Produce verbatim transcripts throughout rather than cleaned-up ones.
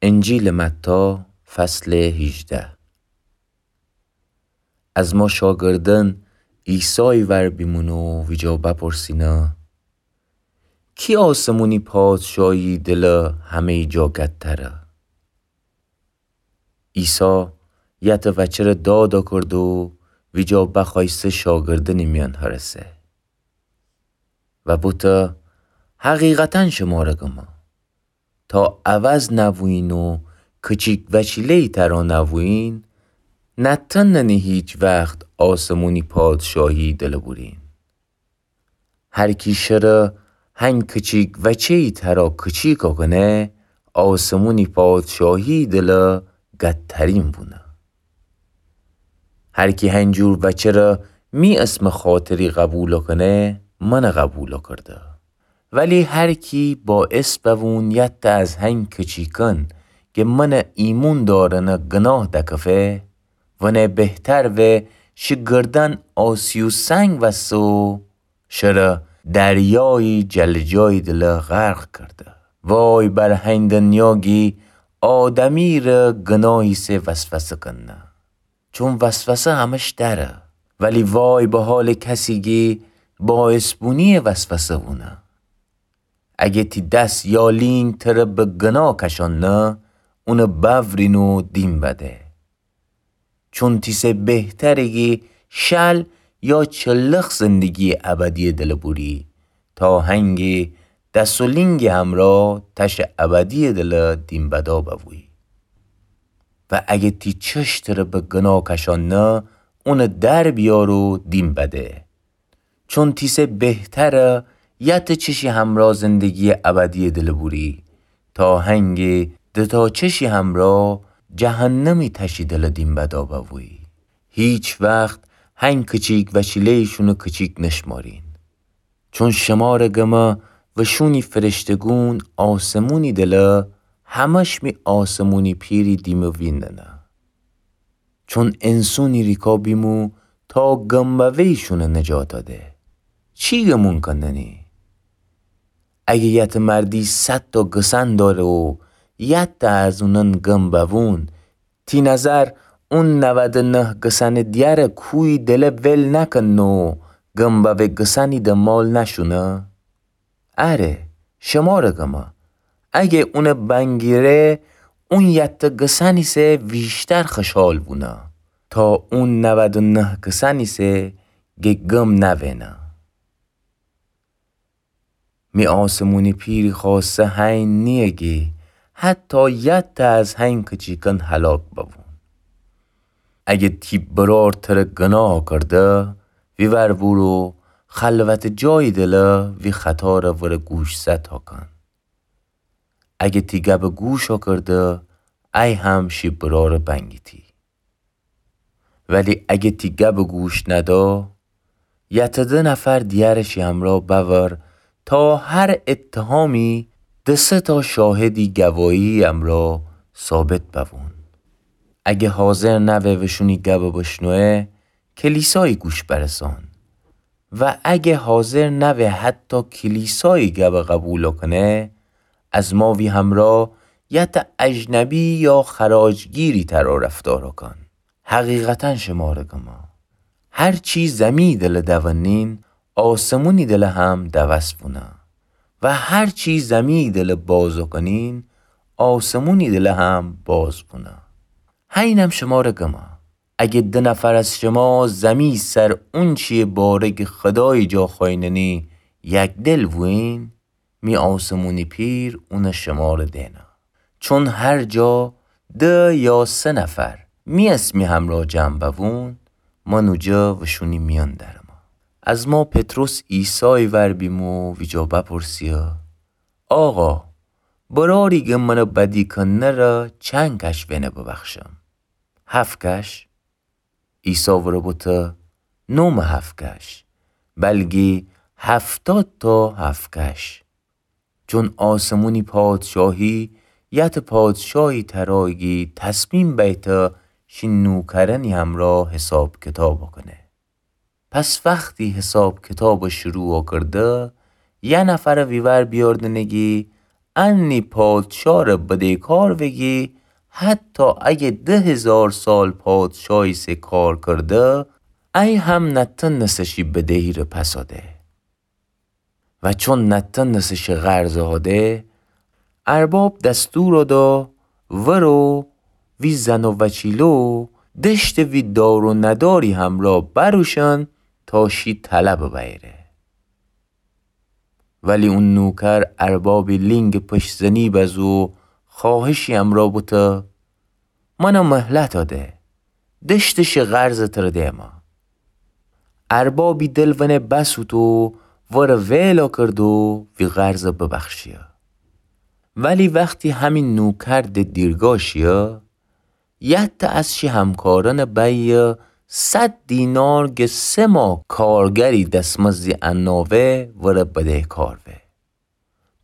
انجیلٚ متی، فصلٚ هیجده. از ما شاگردأن عیسایٚ ور بیمون و ویجا بپرسینه: کی آسمونی پادشاهی دلٚ همه‌یی جا گتره؟ عیسی یتٚ وأچره داد کرد و ویجا بخوأیسته شاگردأنی میأن هرسه و بوته: حقیقتاً شمره گمه، تا عوض نوویین و کچیک وأچیله‌یی ترا نوویین، نتأننی هیچ وخت آسمونی پادشاهی دلٚ بورین. هر کی شره هنگ کچیک وأچه‌یی ترا کچیک کنه، آسمونی پادشاهی دلٚ گترین بونه. هر کی هنجور وأچره می اسمٚ خاطری قوبیل کنه، منه قوبیل کرده. ولی هر کی باعث بوون یتٚ از هنگ کچیکأن گه منه ایمون دأرنه گناه دکفه، ونه بهتر وأ شی گردن آسیو سنگ وسه و شره دریایی جلجایی دلٚ غرق کرده. وای بر هنگ دنیا گی آدمی ره گناهیسه وسوسه کنه. چون وسوسه همش دره. ولی وای به حالٚ کسی گی باعث بونی وسوسه بونه. اگه تی دس یا لینگ تره به گناه کشانه، اونه بأورین و دیم بده. چون تیسه بهتره گی شل یا چلخ زندگیٚ ابدیٚ دلٚ بوری، تا هنگی دس و لینگٚ همرأ تشٚ ابدیٚ دلٚ دیم بدا بوی. و اگه تی چش تره به گناه کشانه، اونه در بیار و دیم بده. چون تیسه بهتره یتٚ چشی همرأ زندگیٚ ابدیٚ دلٚ بوری، تا هنگی دوتا چشی همرأ جهنمی تشی دلٚ دیم بدا بوی. هیچ وخت هنگ کچیک وأچیله‌ییشونه کچیک نشمارین. چون شمره گمه وشونی فرشته‌گون آسمونی دلٚ همش می آسمونی پیری دیمه ویندنه. چون انسونی ریکا بیمو تا گم بوه‌ییشونه نجات ده. چی گمون کندنی؟ اگه یتٚ مردی صد تا گسن دأره و یتٚ از اونأن گم بوون، تی نظر اون نود و نه گسنٚ دیره کویی دله ول نکن و گم بوه گسنی دنبال نشونه؟ اره، شمره گمه، اگه اونه بنگیره، اون یتٚ گسنیسه ویشتر خوشحال بونه تا اون نود و نه گسنیسه گه گم نوینه. می آسمونی پیری خواسته هین نییه گی حتی یتٚ از هین کچیکن هلاک ببون. اگه تی برار تره گناه کرده، ویور بورو خلوتٚ جایی دله وی خطاره وره گوشزد هاکن. اگه تی گبه گوش هاکرده، ای هم شی براره بنگیتی. ولی اگه تی گبه گوش ندا، یتٚ ده نفر دیره شی امرا بأور تا هر اتهامی دسه تا شاهدی گواهی امرا ثابت ببون. اگه حاضر نوه وشونی گبه بشنوه، کلیسایی گوش برسان. و اگه حاضر نوه حتی کلیسایی گبه قبول کنه، از ما وی همرا یتٚ اجنبی یا خراجگیری ترا رفتار کن. حقیقتا شمره گمه، هر چی زمی دله دونین، آسمونی دله هم دوس بونه. و هر چی زمی دله باز کنین، آسمونی دله هم باز بونه. هینم شمره گمه، اگه ده نفر از شما زمی سر اونچی باره گه خدایی جا خویننی یک دل بوین، می آسمونی پیر اونه شمره دینه. چون هر جا ده یا سه نفر می اسمی همرا جمع ببون، من اوجه وشونی میان درمه. از ما پطرس عیسایی ور بیمو ویجا بپرسیه: آقا، براری گه منه بدی کنه ره چند کش وینه ببخشم؟ هفت کش؟ عیسی وره بوته: نومه هفت کش، بلگی هفتاد تا هفت کش. چون آسمونی پادشاهی یتٚ پادشاهی ترایگی تصمیم بیته شی نوکرنی همرا حساب کتاب کنه. پس وختی حساب کتاب شروع کرده، یه نفر ویور بیاردنگی انی پادشاه‌ره بدهکار وگی، حتی اگه ده هیزار سال پادشاهی سه کار کرده، ای هم نتنسه شی بدهی‌ره پس‌آده. و چون نتنسه شی قرضه هاده، ارباب دستور دا ورو وی زن و وچیلو دشت وی دار و نداری همرا بروشن تا شی طلب بیره. ولی اون نوکر اربابی لینگ پشت زنی بزو خواهشی امرا بوته، منا مهلت آده، دشت شی قرض تر دیمه. اربابی دل ونه بسوتو ور ویلا کردو وی قرض ببخشیه. ولی وختی همین نوکر ده دیرگا شیه، یت از شی همکارن بیه صد دینار گه سه ماه کارگری دسمزدی اناوه ور بدهکار وه.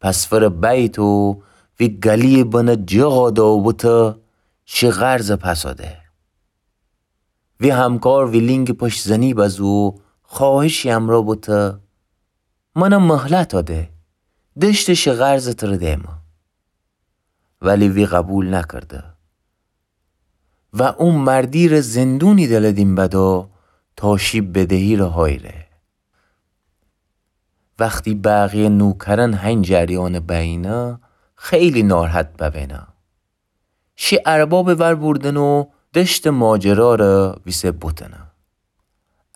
پس ور بیتو وی گلی بنه جغا دو بوته شی قرض پس‌آده. وی همکار وی لینگ پشت زنی بزو خواهشی امرا بوته، منا مهلت آده، دشت شی قرض تر دیمه. ولی وی قبول نکرده و او مردی‌ره زندونی دل دیم بدو تا شی بدهی‌ره هایره. وختی بقیه نوکرن هین جریان بینه، خیلی ناراحت ببینه. شی ارباب ور بردن و دشت ماجراره ویسه بوتنه.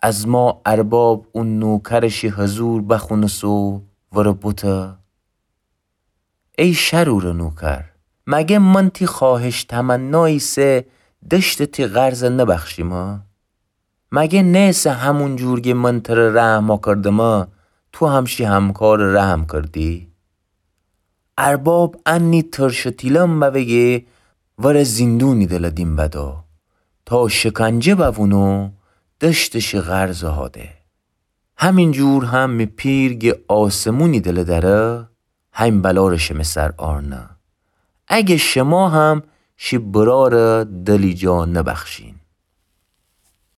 از ما ارباب او نوکر شی حضور بخونسو ور بوته، ای شرور نوکر، مگه من تی خواهش تمنایی سه دشت تی قرض نبخشیمه؟ مگه نیسه همون جور گه من تر رحم کردمه، تو هم شی همکار رحم کردی؟ ارباب انی ترش تیلم بوگه ور زندونی دل دیم بدو تا شکنجه بوونو دشت شی قرض هاده. همین جور هم می پیر گه آسمونی دل دره، هین بلاره شمه سر آرنه. اگه شما هم شی براره دلی جا نبخشین.